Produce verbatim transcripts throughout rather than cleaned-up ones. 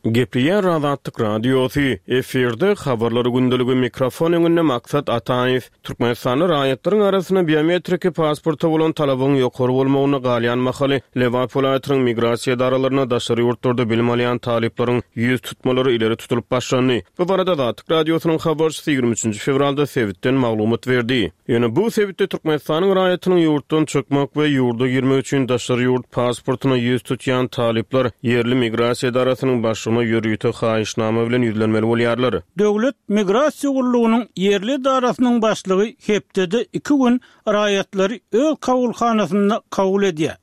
Gepleýär Azatlyk Radiosy, efirde Habarlar gündeligi, mikrofon öňünde Maksat Ataýew. Türkmenistanda raýatlaryň arasynda biometriki pasporta bolan talabyň ýokary bolmagyna galýan mahaly Lebap welaýatynyň migrasiýa edaralaryna daşary ýurtlarda bilim alýan talyplaryň ýüz tutmalary ileri tutulyp başlandy. Bu barada Azatlyk Radiosynyň habarçysy ýigrimi üçünji fewralda sebitden maglumat berdi. Ýöne bu sebitde Türkmenistanyň raýatynyň ýurtdan çykmak we ýurda girmek üçin daşary ýurt pasportyna ýüz tutýan talyplar ýerli migrasiýa edarasynyň başlygyna ýörite haýyşnama bilen ýüzlenmeli bolýarlar. Döwlet migrasiýa gullugynyň ýerli edarasynyň başlygy hepdede iki gün raýatlary öz kabulhanasynda kabul edýär.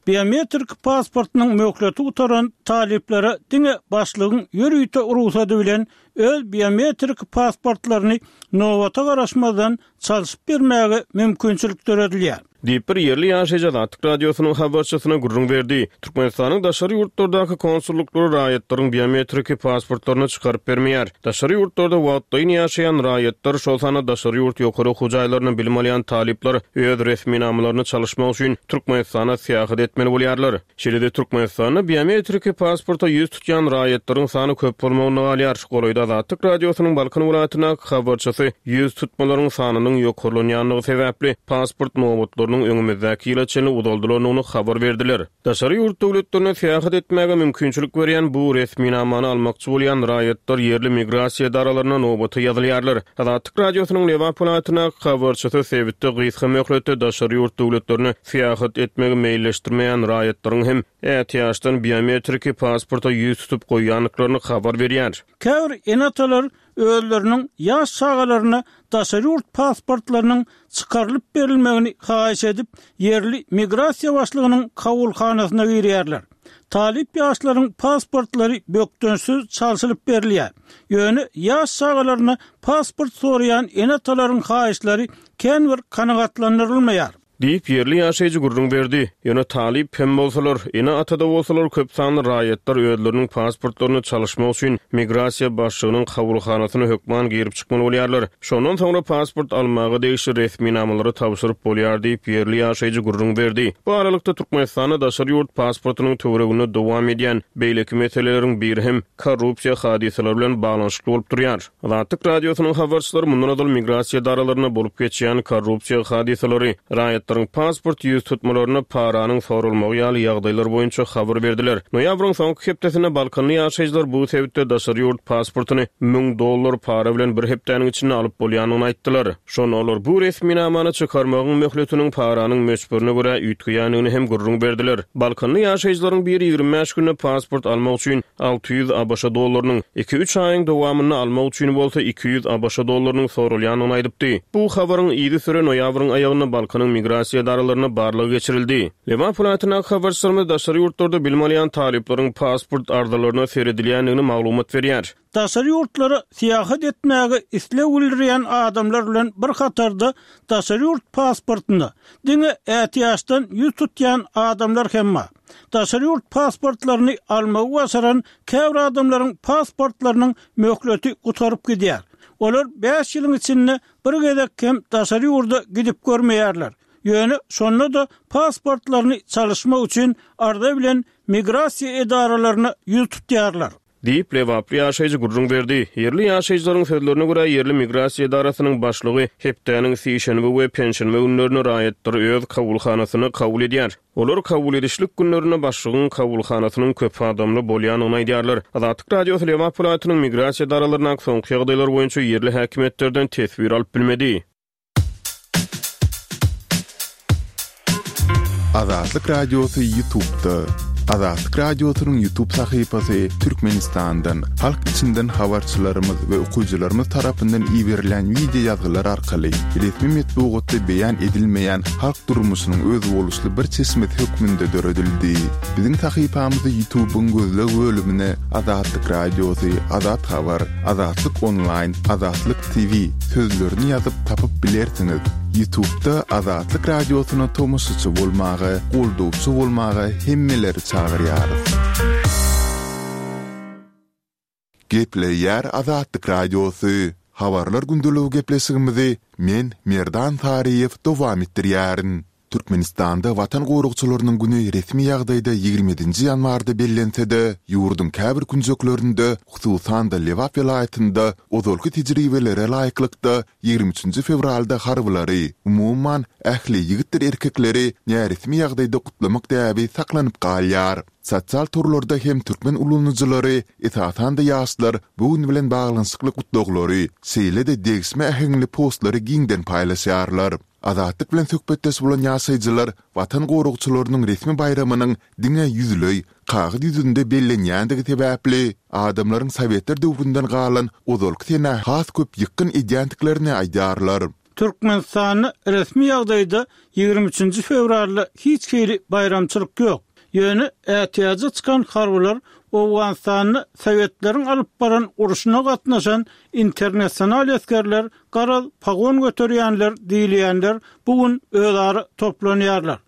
Biometrik pasportynyň möhleti gutaran talyplara diňe başlygyň ýörite rugsady bilen öz biometrik pasportlaryny nobata garaşmazdan çalşyp bermäge mümkinçilik döredilýär. Diýip, bir ýerli ýaşaýjy Azatlyk Radiosynyň habarçysyna gürrüň berdi. Türkmenistanyň daşary ýurtlardaky konsullyklary raýatlaryň biometriki pasportlaryny çykaryp bermeýär. Daşary ýurtlarda wagtlaýyn ýaşaýan raýatlar, şol sanda daşary ýurt ýokary okuw jaýlarynda bilim alýan talyplar öz resminamalaryny çalyşmak üçin Türkmenistana syýahat etmeli bolýarlar. Şeýle-de Türkmenistanda biometriki pasporta ýüz tutýan raýatlaryň sany köp bolmagynda galýar. Golaýda Azatlyk Radiosynyň Balkan welaýatyndaky habarçysy ýüz tutmalaryň sanynyň ýokarlanýandygy sebäpli pasport nobatlarynyň öňümizdäki ýyla çenli uzaldylandygyny habar berdiler. Daşary ýurt döwletlerine syýahat etmäge mümkinçilik berýän bu resminamany almakçy bolýan raýatlar ýerli migrasiýa edaralaryna nobata ýazylýarlar. Azatlyk Radiosynyň Lebap welaýatyndaky habarçysy sebitde gysga möhletde daşary ýurt döwletlerine syýahat etmegi meýilleşdirmeýän raýatlaryň hem ätiýaçdan biometriki pasporta ýüz tutup goýýandyklaryny habar berýär. Käbir ene-atalar özleriniň ýaş çagalaryna daşary ýurt pasportlarynyň çykarylyp berilmegini haýyş edip, ýerli migrasiýa başlygynyň kabulhanasyna girýärler. Talyp ýaşlaryň pasportlary bökdençsiz çalşylyp berilýär. Ýöne ýaş çagalaryna pasport soraýan ene-atalaryň haýyşlary kän bir kanagatlandyrylmaýar. Diýip, ýerli ýaşaýjy gürrüň berdi. Ýöne talyp hem bolsalar, ene-ata-da bolsalar köp sanly raýatlar özleriniň pasportlaryny çalyşmak üçin migrasiýa başlygynyň kabulhanasyna hökman girip çykmaly bolýarlar. Şondan soňra pasport almaga degişli resminamalary tabşyryp bolýar diýip, ýerli ýaşaýjy gürrüň berdi. Bu aralykda, Türkmenistanda daşary ýurt pasportynyň töwereginde dowam edýän beýleki meseleleriň biri hem korrupsiýa hadysalary bilen baglanyşykly bolup durýar. Azatlyk Radiosynyň habarçylary mundan ozal migrasiýa edaralarynda bolup geçýän korrupsiýa hadysalary, raýatlaryň pasport ýüz tutmalarynda paranyň soralmagy ýaly ýagdaýlar boýunça habar berdiler. Noýabryň soňky hepdesinde balkanly ýaşaýjylar bu sebitde daşary ýurt pasportyny müň dollar para bilen bir hepdäniň içinde alyp bolýandygyny aýtdylar. Şonda olar bu resminamany çykarmagyň möhletiniň paranyň möçberine görä üýtgeýändigini hem gürrüň berdiler. Balkanly ýaşaýjylaryň biri ýigrimi bäş günde pasport almak üçin alty ýüz ABŞ dollarynyň, iki-üç aýyň dowamynda almak üçin bolsa iki ýüz ABŞ dollarynyň soralýandygyny aýdypdy. Bu habaryň yzysüre noýabryň aýagynda Balkanyň migrasiýa edaralarynda barlag geçirildi. Lebap welaýatyndaky habarçylarymyz daşary ýurtlarda bilim alýan talyplaryň pasport arzalaryna seredilýändigini maglumat berýär. Daşary ýurtlara syýahat etmäge isleg bildirýän adamlar bilen bir hatarda daşary ýurt pasportyna diňe ätiýaçdan ýüz tutýan adamlar hem bar. Daşary ýurt pasportlaryny almagy başaran käbir adamlaryň pasportlarynyň möhleti gutaryp gidýär. Olar bäş ýylyň içinde bir gezek hem daşary ýurda gidip görmeýärler. Ýöne şonda-da pasportlaryny çalyşmak üçin arza bilen migrasiýa edaralaryna ýüz tutýarlar. Diýip, lebaply ýaşaýjy gürrüň berdi. Ýerli ýaşaýjylaryň sözlerine görä, ýerli migrasiýa edarasynyň başlygy hepdäniň sişenbe we penşenbe günlerinde raýatlary öz kabulhanasynda kabul edýär. Olar kabul edişlik günlerinde başlygyň kabulhanasynyň köp adamly bolýandygyny aýdýarlar. Azatlyk Radiosy Lebap welaýatynyň migrasiýa edaralaryndaky soňky ýagdaýlar boýunça ýerli häkimiýetlerden teswir alyp bilmedi. Azatlyk Radiosy Ýutubda. Azatlyk Radiosynyň Ýutub sahypasy Türkmenistandan, halk içinden habarçylarymyz we okyjylarymyz tarapyndan iberilýän wideo ýazgylar arkaly resmi metbugatda beýan edilmeýän halk durmuşynyň özboluşly bir çeşmesi hökmünde döredildi. Biziň sahypamyzy Ýutubyň gözleg bölümine Azatlyk Radiosy, Azat Habar, Azatlyk Onlaýn, Azatlyk T V sözlerini ýazyp tapyp bilersiňiz. Ýutubda Azatlyk Radiosyna tomaşaçy bolmaga, goldawçy bolmaga hemmeleri çagyrýarys. Gepleýär Azatlyk Radiosy. Habarlar gündeligi gepleşigimizi men, Merdan Taryýew dowam etdirýärin. Türkmenistanda Watan goragçylarynyň güni resmi ýagdaýda ýigrimi ýedinji ýanwarda bellense-de, ýurduň käbir künjeklerinde, hususan-da Lebap welaýatynda ozalky tejribelere laýyklykda ýigrimi üçünji fewralda harbylary, umuman, ähli ýigitdir erkekleri näresmi ýagdaýda gutlamak däbi saklanyp galýar. Sosial torlarda hem türkmen ulanyjylary, esasan-da ýaşlar bu gün bilen baglanyşykly gutlaglary, şeýle-de degişme äheňli postlary giňden paýlaşýarlar. Azatlyk bilen söhbetdeş bolan ýaşaýjylar Watan goragçylarynyň resmi baýramynyň diňe ýüzleý, kagyz ýüzünde bellenýändigi sebäpli, adamlaryň sowetler döwründen galan ozalky senä has köp ýykgyn edýändiklerini aýdýarlar. Türkmenistanda resmi ýagdaýda ýigrimi üçünji fewralda hiç hili baýramçylyk ýok. Ýöne ätiýaja çykan harbylar Owganystanda sowetleriň alyp baran urşuna gatnaşan internasional esgerler Garaz, pagon göterýänler diýilýänler bu gün özara toplanýarlar.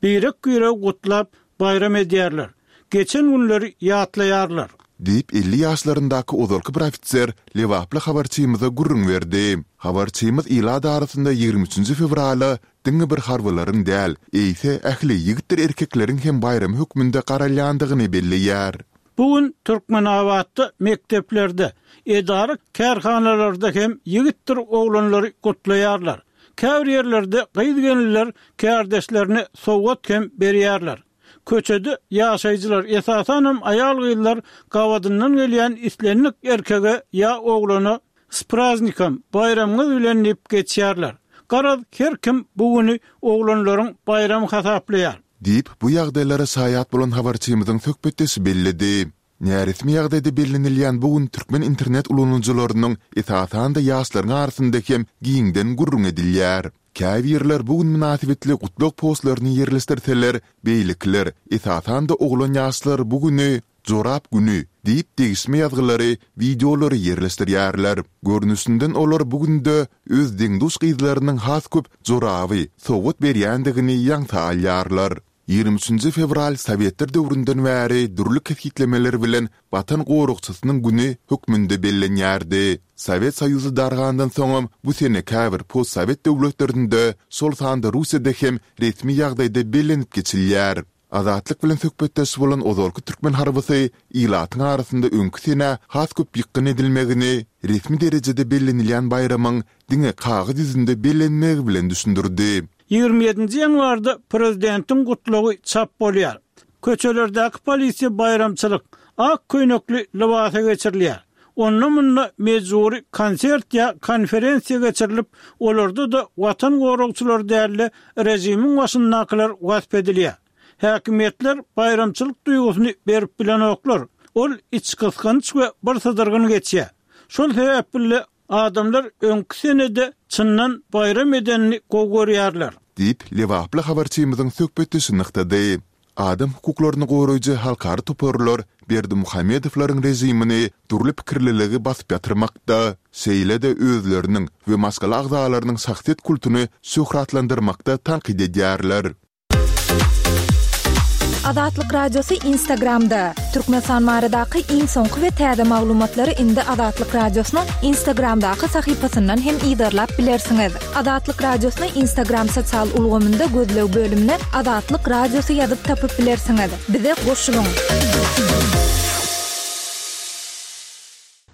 Birek-biregi gutlap, baýram edýärler. Geçen günleri ýatlaýarlar. Diýip, elli ýaşlaryndaky ozalky bir ofiser lebaply habarçymyza gürrüň berdi. Habarçymyz ilat arasynda ýigrimi üçünji fewrala diňe bir harbylaryň däl, eýse, ähli ýigitdir erkekleriň hem baýramy hökmünde garalýandygyny belleýär. Bu gün Türkmenabatda mekdeplerde, edara-kärhanalarda hem ýigitdir oglanlary gutlaýarlar. Käbir ýerlerde gyz-gelinler kärdeşlerine sowgat hem berýärler. Köçede ýaşaýjylar, esasanam aýal-gyzlar gabadyndan gelýän islendik erkege ýa oglana S praznikom, baýramyňyz bilen diýip geçýärler. Garaz, her kim bu güni oglanlaryň baýramy hasaplaýar. Diýip, bu ýagdaýlara şaýat bolan habarçymyzyň söhbetdeşi belledi. Näresmi ýagdaýda bellenilýän bu gün türkmen internet ulanyjylarynyň, esasan-da ýaşlaryň arasynda hem giňden gürrüň edilýär. Käbirler bu gün mynasybetli gutlag postlaryny ýerleşdirseler, beýlekiler, esasan-da oglan ýaşlar bu güni Jorap güni diýip degişme ýazgylary, wideolary ýerleşdirýärler. Görnüşinden olar bu günde öz deň-duş gyzlarynyň has köp joraby sowgat berýändigini ýaňsa alýarlar. Ýigrimi üçünji fewral sowetler döwründen bäri dürli kesgitlemeler bilen Watan goragçysynyň güni hökmünde bellenýärdi. Sowet Soýuzy dargandan soňam bu sene käbir postsowet döwletlerinde, şol sanda Russiýada hem resmi ýagdaýda bellenip geçilýär. Azatlyk bilen söhbetdeş bolan ozalky türkmen harbysy ilatyň arasynda öňki senä has köp ýykgyn edilmegini resmi derejede bellenilýän baýramyň diňe kagyz ýüzünde bellenmegi bilen düşündirdi. Ýigrimi ýedinji ýanwarda prezidentiň gutlagy çap bolýar. Köçelerdäki polisiýa baýramçylyk, ak köýnekli lybasa geçirilýär. Onda-munda mejbury konsert ýa konferensiýa geçirilip, olarda-da Watan goragçylary däl-de, režimiň başyndakylar wasp edilýär. Häkimiýetler baýramçylyk duýgusyny berip bilenoklar. Ol içgysgynç we birsydyrgyn geçýär. Şol sebäpli-de adamlar öňki senede çyndan baýram edenini gowy görýärler. Diýip, lebaply habarçymyzyň söhbetdeşi nygtady. Adam hukuklaryny goraýjy halkara toparlar Berdimuhamedowlaryň režimini dürli pikirliligi basyp ýatyrmakda, şeýle-de özleriniň we maşgala agzalarynyň şahsyýet kultuny şöhratlandyrmakda tankyt edýärler. Azatlyk Radiosy Instagramda, Türkmenistan baradaky iň soňky we täze maglumatlary indi Azatlyk Radiosynyň Instagramdaky sahypasyndan hem yzarlap bilersiňiz. Azatlyk Radiosyny Instagram sosial ulgamynda gözleg bölümine Azatlyk Radiosy ýazyp tapyp bilersiňiz. Bize goşulyň!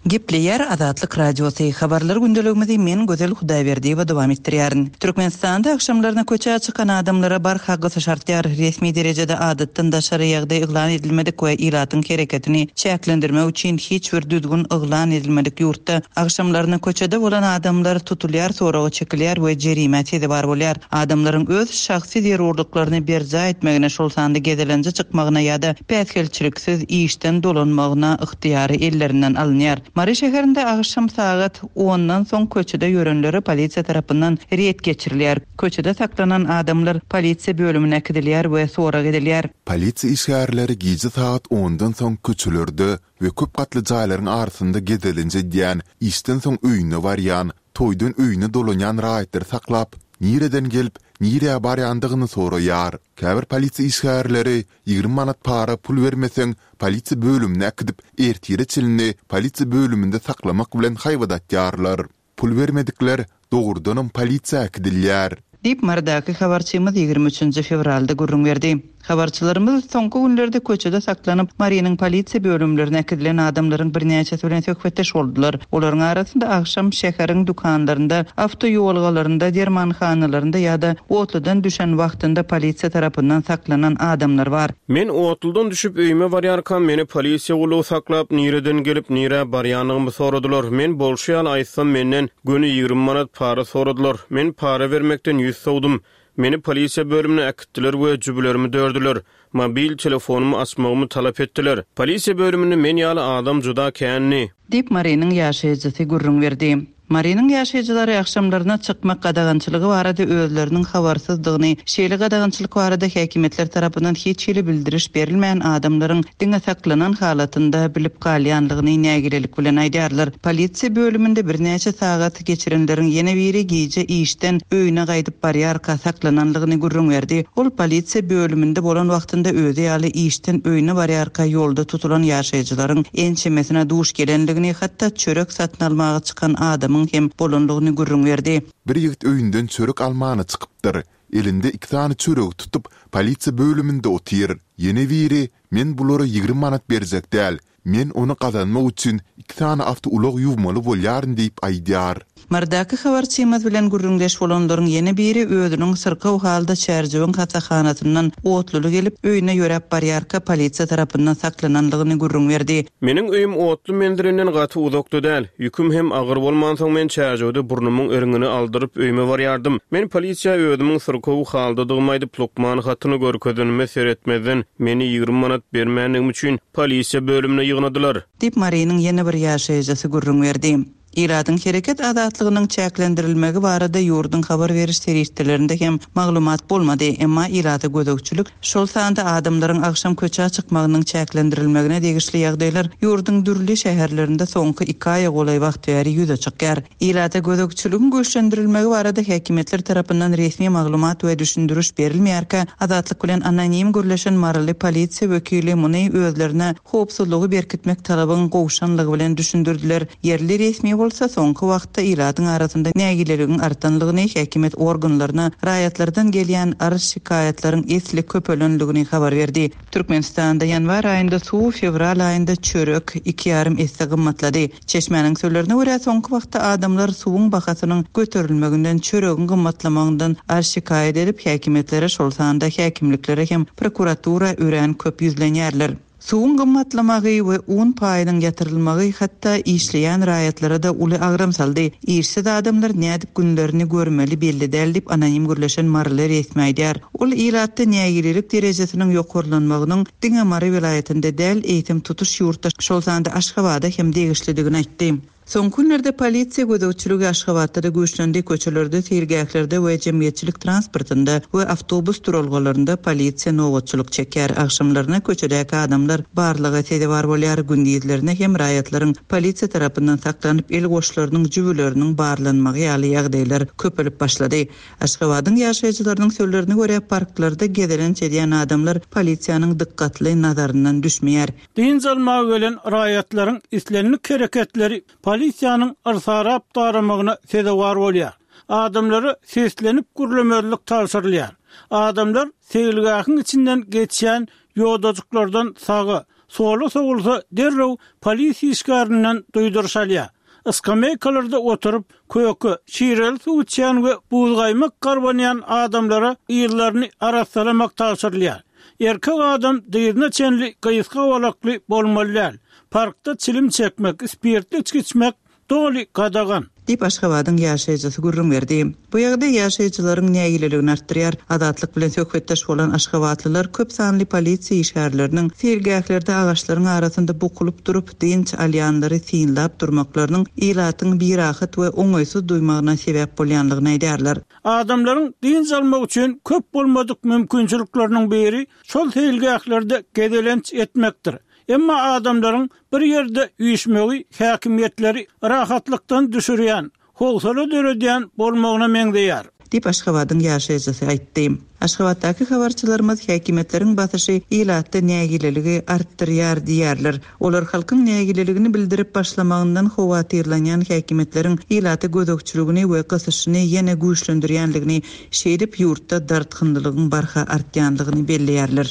Gepleýär Azatlyk Radiosy, Habarlar gündeligimizi men Gözel Hudaýberdiýewa dowam etdirýärin. Türkmenistanda agşamlaryna köçä çykan adamlara barha gysyş artýar. Resmi derejede adatdan daşary ýagdaý yglan edilmedik we ilatyň hereketini çäklendirmek üçin hiç bir düzgün yglan edilmedik ýurtda agşamlaryna köçede bolan adamlar tutulýar, soraga çekilýär we jerimä sezewar bolýar. Adamlaryň öz şahsy zerurlyklaryny berjaý etmegine, şol sanda gezelenje çykmagyna ýa-da päsgelçiliksiz işden dolanmagyna ygtyýary ellerinden alynýar. Mary şäherinde agşam sagat ondan soň köçede ýörenlere polisiýa tarapyndan reýd geçirilýär. Köçede saklanan adamlar polisiýa bölümine äkidilýär we sorag edilýär. Polisiýa işgärleri gije sagat ondan soň köçelerde we köp gatly jaýlaryň arasynda gezelenç edýän, işden soň öýüne barýan, toýdan öýüne dolanýan raýatlary saklap, nireden gelip, nirä barýandygyny soraýar. Käbir polisiýa işgärleri ýigrimi manat para pul bermeseň, polisiýa bölümine äkidip, ertire çenli polisiýa bölüminde saklamak bilen haýbat atýarlar. Pul bermedikler dogrudanam polisiýa äkidilýär. Diýip, Marydaky habarçymyz ýigrimi üçünji fewralda gürrüň berdi. Habarçylarymyz soňky günlerde köçede saklanyp, Marynyň polisiýa bölümlerine äkidilen adamlaryň birnäçesi bilen söhbetdeş boldular. Olaryň arasynda agşam şäheriň dükanlarynda, awtoýolgalarynda, dermanhanalarynda ýa-da otludan düşen wagtynda polisiýa tarapyndan saklanan adamlar bar. Men otludan düşüp öýüme barýarkam meni polisiýa gullugy saklap, nireden gelip, nirä barýanymy soradylar. Men bolşy ýaly aýtsam menden göni ýigrimi manat para soradylar. Men para bermekden ýüz sowdum. Meni polisiýa bölümine äkitdiler we jübülerimi dördüler. Mobil telefonymy açmagymy talap etdiler. Polisiýa bölüminde men ýaly adam juda kändi. Diýip, Marynyň ýaşaýjysy gürrüň berdi. Marynyň ýaşaýjylary agşamlaryna çykmak gadagançylygy barada özleriniň habarsyzdygyny, şeýle gadagançylyk barada häkimiýetler tarapyndan hiç hili bildiriş berilmän adamlaryň diňe saklanan halatynda bilip galýanlygyny nägilelik bilen aýdýarlar. Polisiýa bölüminde birnäçe sagat geçirenleriň ýene biri gije işden öýüne gaýdyp barýarka saklananlygyny gürrüň berdi. Ol polisiýa bölüminde bolan wagtynda özi ýaly işden öýüne barýarka ýolda tutulan ýaşaýjylaryň ençemesine duş gelenligini, hatda çörek satyn almaga çykan adamyň hem bolanlygyny gürrüň berdi. Bir ýigit öýünden çörek almana çykypdyr. Elinde iki sany çöregi tutup, polisiýa bölüminde otyr. Ýene biri, men bulara ýigrimi manat berjek däl, men ony gazanmak üçin iki sany awtoulag ýuwmaly bolýaryn diýip aýdýar. Marydaky habarçymyz bilen gürrüňdeş bolanlaryň ýene biri özüniň syrkaw halda Çärjewiň hasahanasyndan otluly gelip, öýüne ýöräp barýarka polisiýa tarapyndan saklananlygyny gürrüň berdi. Meniň öýüm otly menzilinden gaty uzakda däl. Ýüküm hem agyr bolmansoň men Çärjewde burnumyň eriňini aldyryp öýüme barýardym. Men polisiýa özümiň syrkaw haldadygymy aýdyp lukman hatyny görkezenime seretmezden meni ýigrimi manat bermänligim üçin polisiýa bölümine ýygnadylar. Diýip Marynyň ýene bir ýaşaýjysy gürrüň berdi. Ilatyň hereket azatlygynyň çäklendirilmegi barada ýurduň habar beriş serişdelerinde hem maglumat bolmady. Emma ilata gözegçilik, şol sanda adamlaryň agşam köçä çykmagynyň çäklendirilmegine degişli ýagdaýlar ýurduň dürli şäherlerinde soňky iki aýa golaý wagt bäri ýüze çykýar. Ilata gözegçiligiň güýçlendirilmegi barada häkimiýetler tarapyndan resmi maglumat we düşündiriş berilmeýärkä, Azatlyk bilen anonim gürleşen Maryly polisiýa wekili muny özlerine howpsuzlygy berkitmek talabyň gowşanlygy bilen düşündirdiler. Ýerli resmi bolsa soňky wagtda ilatyň arasynda nägileligiň artanlygyny, häkimiýet organlaryna raýatlardan gelýän arz şikaýatlaryň esli köpelenligini habar berdi. Türkmenistanda ýanwar aýynda suw, fewral aýynda çörek iki ýarym esse gymmatlady. Çeşmäniň sözlerine görä soňky wagtda adamlar suwuň bahasynyň göterilmeginden, çöregiň gymmatlamagyndan arz şikaýat edip, häkimiýetlere, şol sanda häkimliklere hem prokuratura örän köp ýüzlenýärler. Suwuň gymmatlamagy we un paýynyň ýatyrylmagy hatda işleýän raýatlara da uly agram saldy. Işsiz adamlar nädip günlerini görmeli belli däl diýip anonim gürleşen Maryly resmi aýdýar. Ol ilatda nägilelik derejesiniň ýokarlanmagynyň diňe Mary welaýatynda däl, eýsem tutuş ýurtda, şol sanda Aşgabada hem degişlidigini aýtdy. Soňky günlerde polisiýa gözegçiligi Aşgabatda da güýçlendi, köçelerde, seýilgählerde we jemgyýetçilik transportynda we awtobus duralgalarynda polisiýa nobatçylyk çekýär. Agşamlaryna köçedäki adamlar barlyga sezewar bolýar, gündizlerine hem raýatlaryň polisiýa tarapyndan saklanyp el goşlarynyň jübüleriniň barlanmagy ýaly ýagdaýlar köpelip başlady. Aşgabadyň ýaşaýjylarynyň sözlerine görä parklarda gezelenç edýän adamlar polisiýanyň dikkatli nazaryndan düşmeýär. Dynç almaga gelen raýatlaryň islendik hereketleri polisiýanyň yrsarap daramagyna sezewar bolýar. Adamlara seslenip gürlemezlik tabşyrylýar. Adamlar seýilgähiň içinden geçýän ýodajyklardan saga, sola sowulsa derrew polisiýa işgärinden duýduryş alýar. Iskameykalarda oturyp, köke, şireli suw içýän we buzgaýmak garbanýan adamlara ýerlerini arassalamak tabşyrylýar. Erkek adam dyzyna çenli gysga bolakly bolmaly däl. Parkda çilim çekmek, spirtli içki içmek doly gadagan. Diýip Aşgabadyň ýaşaýjysy gürrüň berdi. Bu ýagdaý ýaşaýjylaryň nägileligini artdyrýar. Azatlyk bilen söhbetdeş bolan aşgabatlylar köp sanly polisiýa işgärleriniň seýilgählerde agaçlaryň arasynda bukulyp durup dynç alýanlary synlap durmaklarynyň ilatyň birahat we oňaýsyz duýmagyna sebäp bolýanlygyny aýdýarlar. Adamlaryň dynç almak üçin köp bolmadyk mümkinçilikleriniň biri şol seýilgählerde gezelenç etmekdir. Emma adamlaryň bir ýerde üýşmegi häkimiýetleri rahatlykdan düşürýän, howsala döredýän bolmagyna meňzeýär. Diýip Aşgabadyň ýaşaýjysy aýtdy. Aşgabatdaky habarçylarymyz häkimiýetleriň basyşy ilatda nägileligi artdyrýar diýýärler. Olar halkyň nägileligini bildirip başlamagyndan howatyrlanýan häkimiýetleriň ilata gözegçiligini we gysyşyny ýene güýçlendirýänligini, şeýdip ýurtda dartgynlylygyň barha artýanlygyny belleýärler.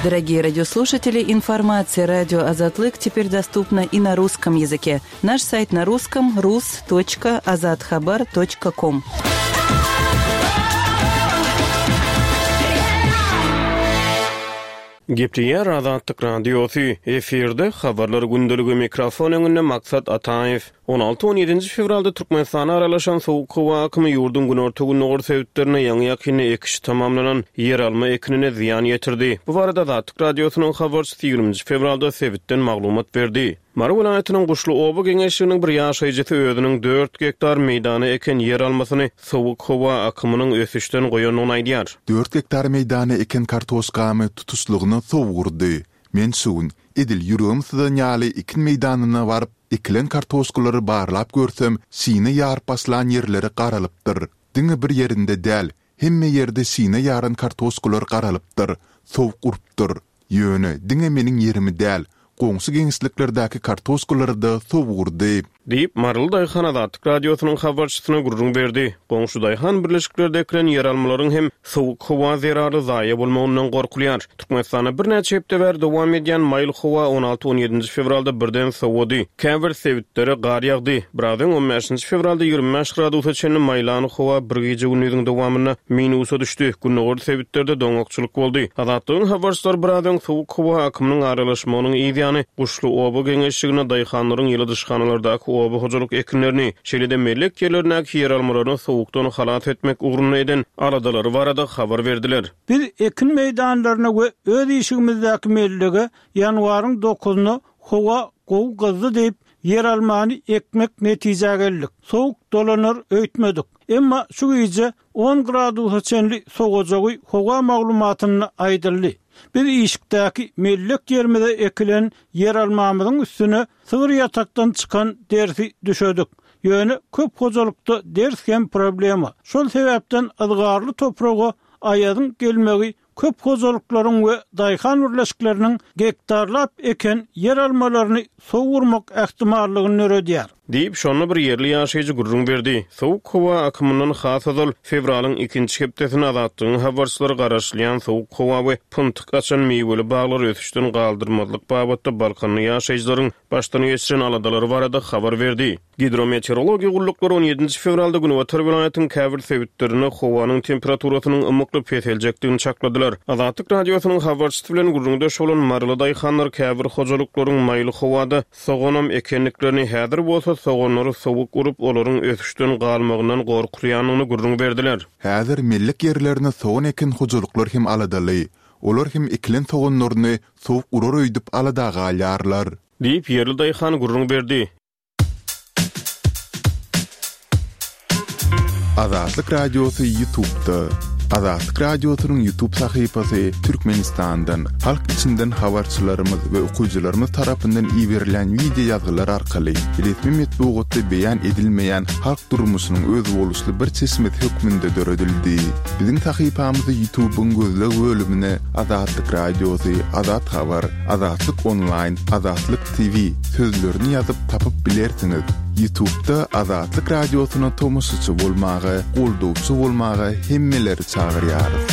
Дорогие радиослушатели, информация радио Азатлык теперь доступна и на русском языке. Наш сайт на русском rus.azathabar.com. Gepleýär Azatlyk Radiosy, efirde habarlar gündeligi mikrofon öňünde Maksat Ataýew. on alty on ýedinji fewralda Türkmenistana aralaşan sowuk howa akymy ýurduň günorta-gündogar sebitlerine ýaňy-ýakynda ekiş tamamlanan ýeralma ekinine zyýan ýetirdi. Bu barada Azatlyk Radiosynyň habarçysy ýigriminji fewralda sebitden maglumat berdi. Mary welaýatynyň Guşly oba geňeşliginiň bir ýaşaýjysy özüniň dört gektar meýdana eken ýeralmasyny sowuk howa akymynyň ösüşden goýandygyny aýdýar. Dört gektar meýdana eken kartoşkamy tutuşlygyna sowurdy. Men şu gün edil ýüregim syzan ýaly ekin meýdanyna baryp, ekilen kartoşkalary barlap görsem, şine ýaryp başlan ýerleri garalypdyr. Diňe bir ýerinde däl, hemme ýerde şine ýaran kartoşkalar garalypdyr, sowuk urupdyr. Ýöne diňe meniň ýerimi däl, goňşy geňeşliklerdäki kartoşkalary da sowurdy. Diýip, Maryly Daýhan Azatlyk Radiosynyň habarçysyna gürrüň berdi. Goňşy Daýhan birleşiklerde ekilen ýeralmalaryň hem sowuk howa zerarly zaýa bolmagyndan gorkulýar. Türkmenistanda birnäçe hepde bäri dowam edýän maýyl howa on alty on ýedinji fewralda birden sowady. Käbir sebitlere gar ýagdy. Biraz öň on bäşinji fewralda ýigrimi bäş gradusa çenli maýlan howa bir gije gündüziň dowamynda minusa düşdi. Gündogar sebitlerde doňakçylyk boldy. Azatlygyň habarçylary biraz öň sowuk howa akymynyň aralaşmagynyň ýany Guşly oba geňeşligine daýhanlaryň ýyladyşhanalardaky oba hojalyk ekinlerini, şeýle-de mellek ýerlerindäki ýeralmalaryny sowukdan halat etmek ugrunda eden aladalary barada habar berdiler. Biz ekin meýdanlaryna we öz işigimizdäki mellege ýanwaryň dokuzyna howa gowy gyzdy diýip ýeralmany ekmek netijä geldik. Sowuk dolanar öýtmedik. Emma şu gije on gradusa çenli sowajagy howa maglumatynda aýdyldy. Biz işikdäki mellek ýerimize ekilen ýeralmamyzyň üstüne sygyr ýatakdan çykan dersi düşedik. Ýöne köp hojalykda ders hem problema. Şol sebäpden yzgarly topraga aýadyň gelmegi köp hojalyklaryň we daýhan birleşikleriniň gektarlap eken ýeralmalaryny sowurmak ähtimallygyny döredýär. Diýip, şonda bir ýerli ýaşaýjy gürrüň berdi. Sowuk howa akymyndan has ozal fewralyň ikinji hepdesinde Azatlygyň habarçylary garaşylýan sowuk howa we pyntyk açan miweli baglary ösüşden galdyrmazlyk babatda Balkanly ýaşaýjylaryň başdan geçiren aladalary barada habar berdi. Gidrometeorologiýa gulluklary on ýedinji fewralda Günbatar welaýatyň käbir sebitlerinde howanyň temperaturasynyň ymykly peseljekdigini çakladylar. Azatlyk Radiosynyň habarçysy bilen gürrüňdeş bolan Maryly daýhanlar käbir hojalyklaryň maýyl howada soganam ekenliklerini häzir bolsa soganlary sowuk urup, olaryň ösüşden galmagyndan gorkulýandygyny gürrüň berdiler. Häzir mellek ýerlerine sogan eken hojalyklar hem aladaly. Olar hem ekilen soganlaryny sowuk urar öýdüp alada galýarlar. Diýip ýerli daýhan gürrüň berdi. Azatlyk Radiosy YouTube'da. Azatlyk Radiosynyň YouTube sahypasy Türkmenistandan, halk içinden habarçylarymyz we okyjylarymyz tarapyndan iberilen video ýazgylar arkaly resmi metbugatda beýan edilmeýän halk durmuşynyň özboluşly bir çeşmesi hökmünde döredildi. Biziň sahypamyzy YouTube'yň gözleg bölümine Azatlyk Radiosy, Azat Habar, Azatlyk Online, Azatlyk T V sözlerini ýazyp tapyp bilersiňiz. YouTube'da Azatlyk Radiosyna tomaşaçy bolmaga, goldawçy bolmaga hemmeleri çagyrýarys.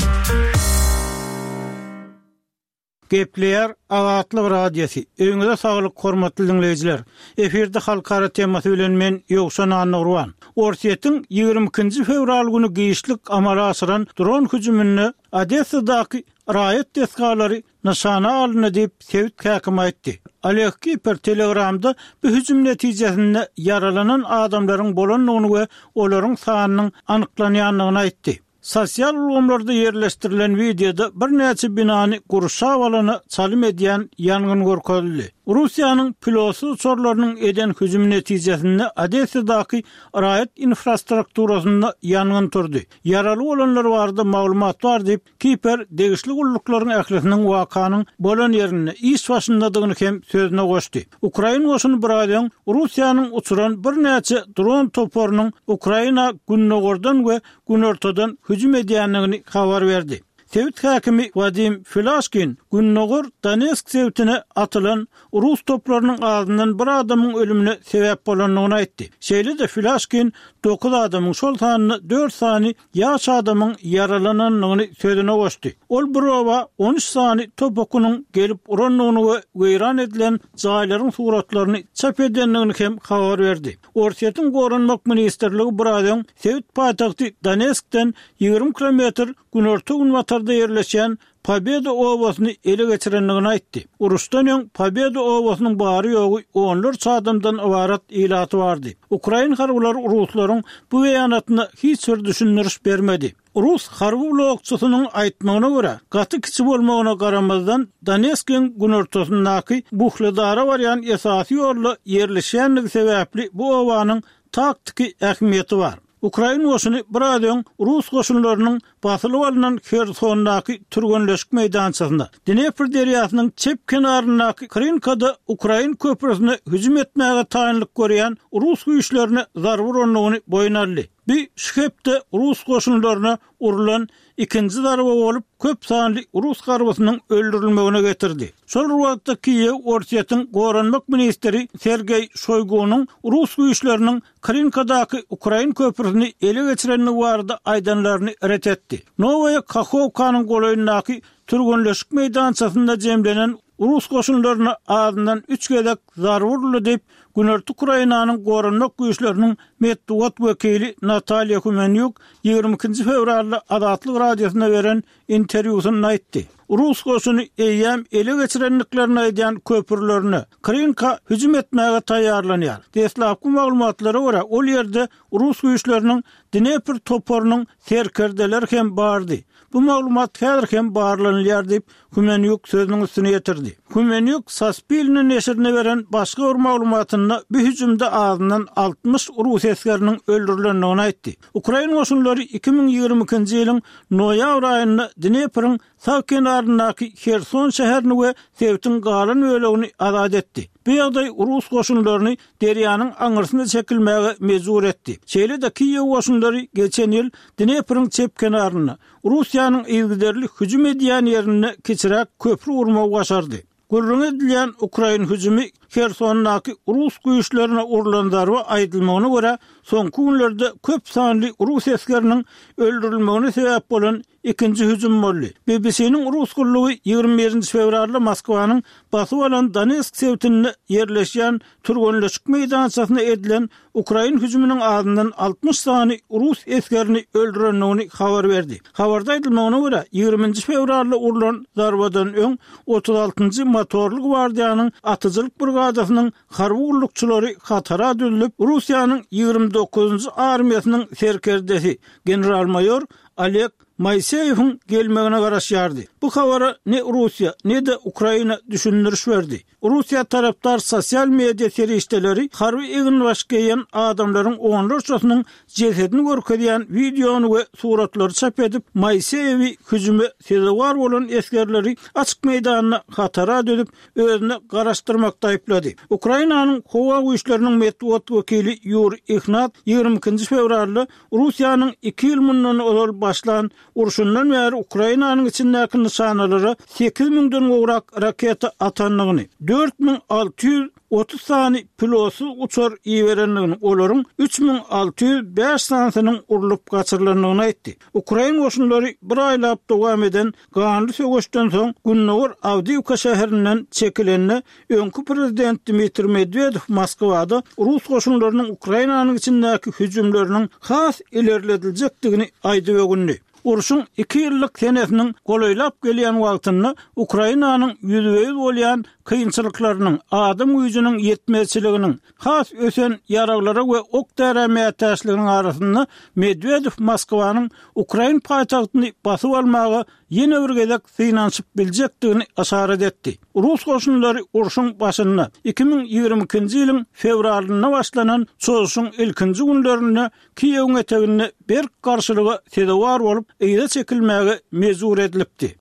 Gepleýär Azatlyk Radiosy. Öýüňize saglyk hormatly dinleýjiler. Efirde halkara temasy bilen men Ýowşan Annurwan. Orsýetiň ýigrimi ikinji fewral güni giçlik amala aşyran dron hüjüminde Odessadaky raýat desgalary nyşana alyndy diýip sebit häkimi aýtdy. Oleg Kiper Telegramda bu hüjüm netijesinde ýaralanan adamlaryň bolandygyny we olaryň sanynyň anyklanýandygyny aýtdy. Sosial ulgamlarda ýerleşdirilen wideoda birnäçe binany gurşap alana çalym edýän ýangyn görkezildi. Russiýanyň pilotsyz uçarlarynyň eden hüjümi netijesinde Odessadaky raýat infrastrukturasynda ýangyn turdy. Ýaraly bolanlar barada maglumat bar diýip, Kiper degişli gulluklaryň ählisiniň wakanyň bolan ýerinde iş başyndadygyny hem sözüne goşdy. Ukrain goşuny bir aý öň Russiýanyň uçuran birnäçe dron toparynyň Ukraina gündogardan we günortadan hüjüm edýändigini habar berdi. Sebit häkimi Wadim Filaşkin gündogar Donetsk sebitine atylan rus toplarynyň azyndan bir adamyň ölümine sebäp bolandygyny aýtdy. Şeýle-de Filaşkin dokuz adamyň, şol sanda dört sany ýaş adamyň ýaralanandygyny sözüne goşdy. Ol bir oba on üç sany top okunyň gelip urandygyny we weýran edilen jaýlaryň suratlaryny çap edendigini hem habar berdi. Orsýetiň Goranmak ministrligi bir aý öň sebit paýtagty Donetskden ýigrimi kilometr günorta-günbatarda ýerleşýän Pobeda obasyny ele geçirendigini aýtdy. Uruşdan öň Pobeda obasynyň bary-ýogy onlarça adamdan ybarat ilaty bardy. Ukrain harbylary ruslaryň bu beýanatyna hiç bir düşündiriş bermedi. Rus harby blokçysynyň aýtmagyna görä, gaty kiçi bolmagyna garamazdan Donetskiň günortasyndaky Buhledara barýan esasy ýolda ýerleşýändigi sebäpli bu obanyň taktiki ähmiýeti bar. Ukrain goşuny bir aý öň rus goşunlarynyň basylyp alnan Hersondaky türgenleşik meýdançasynda, Dnepr derýasynyň çep kenaryndaky Krinkada ukrain köprüsine hüjüm etmäge taýynlyk görýän rus güýçlerine zarba urandygyny boýun aldy. Bu şu hepde rus goşunlaryna urulan ikinji zarba bolup, köp sanly rus harbysynyň öldürilmegine getirdi. Şol bir wagtda Kiýew Orsýetiň goranmak ministri Sergeý Şoýgunyň rus güýçleriniň Krinkadaky ukrain köprüsini ele geçirendigi barada aýdanlaryny ret etdi. Nowaýa Kahowkanyň golaýyndaky türgenleşik meýdançasynda jemlenen rus goşunlaryna azyndan üç gezek zarba uruldy diýip, Günorta Ukrainanyň goranmak güýçleriniň metbugat wekili Natalýa Humenýuk ýigrimi ikinji fewralda Azatlyk Radiosyna beren interwýusynda aýtdy. Rus goşuny eýýäm ele geçirendiklerini aýdýan köprülerine Krinka hüjüm etmäge taýýarlanýar. Deslapky maglumatlara görä, ol ýerde rus güýçleriniň Dnepr toparynyň serkerdeleri hem bardy. Bu maglumat häzir hem barlanylýar diýip, Humenýuk sözüniň üstüne ýetirdi. Humenýuk Saspilne neşirine beren başga bir maglumatynda bu hüjümde azyndan altmyş rus esgeriniň öldürilendigini aýtdy. Ukrain goşunlary iki müň ýigrimi ikinji ýylyň noýabr aýynda Dnepriň sag kenaryndaky Herson şäherini we sebitiň galan bölegini azat etdi. Bu ýagdaý rus goşunlaryny derýanyň aňyrsyna çekilmäge mejbur etdi. Şeýle-de Kiýew goşunlary geçen ýyl Dnepriň çep kenarynda Russiýanyň yzygiderli hüjüm edýän ýerinde kiçiräk köprü gurmagy başardy. Gürrüň edilýän ukrain hüjümi Hersondaky rus güýçlerine urulan zarba aýdylmagyna görä, soňky günlerde köp sanly rus esgeriniň öldürilmegine sebäp bolan ikinji hüjüm boldy. B B C-niň rus gullugy ýigrimi birinji fewralda Moskwanyň basyp alan Donetsk sebitinde ýerleşýän türgenleşik meýdançasyna edilen ukrain hüjüminiň azyndan altmyş sany rus esgerini öldürendigini habar berdi. Habarda aýdylmagyna görä, ýigriminji fewralda urulan zarbadan öň otuz altynjy motorly gwardiýanyň atyjylyk brigadasynyň harby gullukçylary hatara düzülip, Russiýanyň ýigrimi dokuzynjy armiýasynyň serkerdesi general-maýor Oleg Moiseýewiň gelmegine garaşýardy. Bu habara ne Russiýa, ne-de Ukraina düşündiriş berdi. Russiýa tarapdar sosial media serişdeleri harby eginbaş geýen adamlaryň onlarçasynyň jesedini görkezýän wideony we suratlary çap edip, Moiseýewi hüjüme sezewar bolan esgerleri açyk meýdanda hatara düzüp, özüne garaşdyrmakda aýyplady. Ukrainanyň howa güýçleriniň metbugat wekili Ýuri Ihnat ýigrimi ikinji fewralda Russiýanyň iki ýyl mundan ozal başlan urşundan bäri Ukrainanyň içindäki nyşanalara sekiz müňden gowrak raketa atandygyny, dört müň alty ýüz otuz sany pilotsyz uçar iberendigini, olaryň üç müň alty ýüz bäş sanysynyň urlup gaçyrylandygyny aýtdy. Ukrain goşunlary bir aýlap dowam eden ganly söweşden soň Gündogar Awdiýewka şäherinden çekilende öňki prezident Dmitriý Medwedew Moskwada rus goşunlarynyň Ukrainanyň içindäki hüjümleriniň has ilerlediljekdigini aýdyp öwündi. Urşuň iki ýyllyk senesiniň golaýlap gelýän wagtynda Ukrainanyň ýüzbe-ýüz bolýan kynçylyklarynyň, adam güýjüniň ýetmezçiliginiň, has ösen ýaraglara we ok-därä mätäçliginiň arasynda Medwedew Moskwanyň ukrain paýtagtyny basyp almaga ýene bir gezek synanyşyp biljekdigini yşarat etdi. Rus goşunlary urşuň başynda, iki müň ýigrimi ikinji ýylyň fewralynda başlanan çozuşyň ilkinji günlerinde Kiýewiň eteginde berk garşylyga sezewar bolup, yza çekilmäge mejbur edilipdi.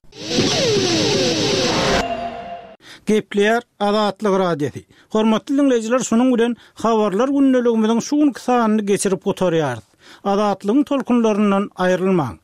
Gepleýär Azatlyk Radiosy. Hormatly diňleýjiler, şunuň bilen Habarlar gündeligimiziň şu günki sanyny geçirip gutarýarys. Azatlygyň tolkunlaryndan aýrylmaň!